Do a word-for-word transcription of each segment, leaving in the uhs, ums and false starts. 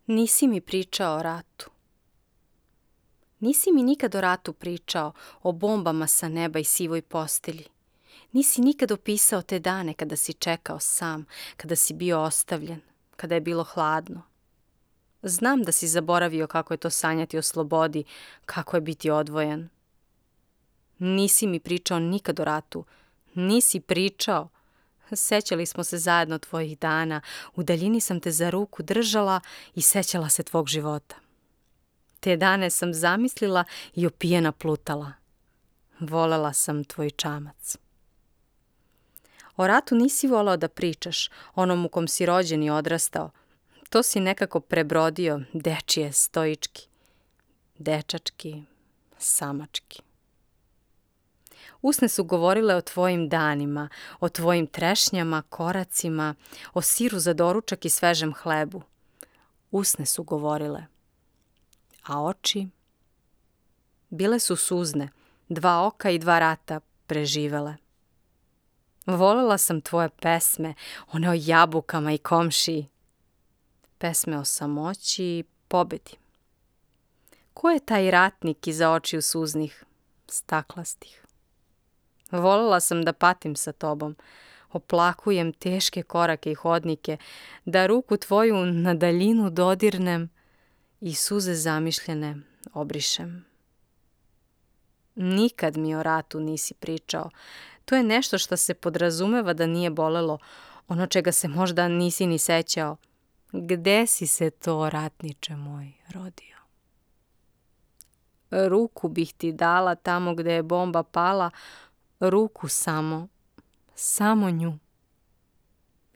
Nisi mi pričao o ratu. Nisi mi nikad o ratu pričao, o bombama sa neba i sivoj postelji. Nisi nikad opisao te dane kada si čekao sam, kada si bio ostavljen, kada je bilo hladno. Znam da si zaboravio kako je to sanjati o slobodi, kako je biti odvojen. Nisi mi pričao nikad o ratu. Nisi pričao. Sećali smo se zajedno tvojih dana, u daljini sam te za ruku držala i sećala se tvog života. Te dane sam zamislila i opijena plutala. Volela sam tvoj čamac. O ratu nisi volao da pričaš, onom u kom si rođen i odrastao. To si nekako prebrodio, dečije, stoički, dečački, samački. Usne su govorile o tvojim danima, o tvojim trešnjama, koracima, o siru za doručak i svežem hlebu. Usne su govorile. A oči? Bile su suzne, dva oka i dva rata preživele. Volela sam tvoje pesme, one o jabukama i komšiji. Pesme o samoći i pobedi. Ko je taj ratnik iza očiju suznih, staklastih? Volela sam da patim sa tobom, oplakujem teške korake i hodnike, da ruku tvoju na daljinu dodirnem i suze zamišljene obrišem. Nikad mi o ratu nisi pričao. To je nešto što se podrazumeva da nije bolelo, ono čega se možda nisi ni sećao. Gde si se to, ratniče moj, rodio? Ruku bih ti dala tamo gde je bomba pala, ruku samo, samo nju.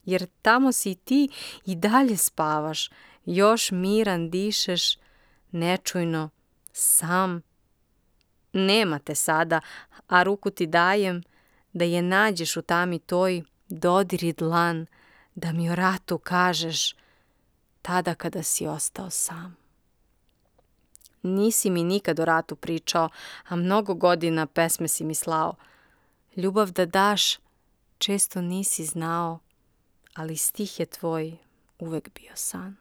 Jer tamo si ti i dalje spavaš, još miran dišeš, nečujno, sam. Nema te sada, a ruku ti dajem, da je nađeš u tami toj, dodiri dlan, da mi o ratu kažeš, tada kada si ostao sam. Nisi mi nikad o ratu pričao, a mnogo godina pesme si mi slao. Ljubav da daš, često nisi znao, ali stih je tvoj uvek bio san.